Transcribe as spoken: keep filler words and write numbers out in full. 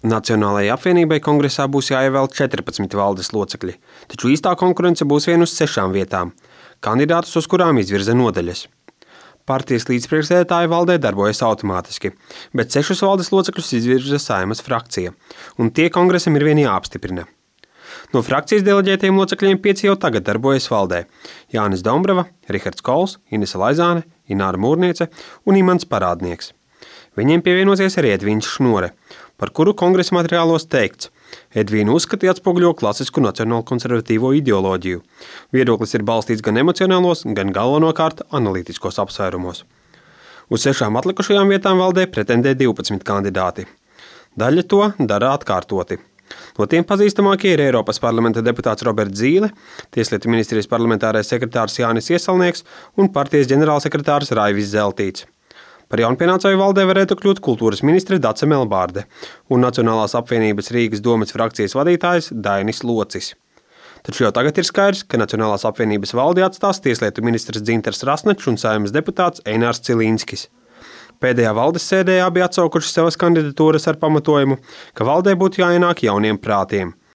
Nacionālajai apvienībai kongresā būs jāievēl četrpadsmit valdes locekļi, taču īstā konkurence būs vien uz sešām vietām, kandidātus, uz kurām izvirza nodaļas. Partijas līdzpriekšsēdētāja valdē darbojas automātiski, bet sešus valdes locekļus izvirza Saeimas frakcija, un tie kongresam ir vien jāapstiprina. No frakcijas deleģētajiem locekļiem pieci jau tagad darbojas valdē – Jānis Dombrava, Rihards Kols, Inese Laizāne, Ināra Mūrniece un Imants Parādnieks. Viņiem pievienosies arī Edvīns Šnore, par kuru kongresa materiālos teikts. Edvīnu uzskati atspoguļo klasisku nacionālu konservatīvo ideoloģiju. Viedoklis ir balstīts gan emocionālos, gan galvenokārt analītiskos apsvērumos. Uz sešām atlikušajām vietām valdē pretendē divpadsmit kandidāti. Daļa to dara atkārtoti. No tiem pazīstamākie ir Eiropas parlamenta deputāts Roberts Zīle, Tieslietu ministrijas parlamentārais sekretārs Jānis Iesalnieks un partijas ģenerālsekretārs Raivis Zeltīts. Par jaunpienācēju valdē varētu kļūt kultūras ministre Dace Melbārde un Nacionālās apvienības Rīgas domes frakcijas vadītājs Dainis Locis. Taču jau tagad ir skaidrs, ka Nacionālās apvienības valdi atstās Tieslietu ministrs Dzintars Rasnačs un Saeimas deputāts Einārs Cilīnskis. Pēdējā valdes sēdē abi atsaukuši savas kandidatūras ar pamatojumu, ka valdē būtu jāienāk jauniem prātiem.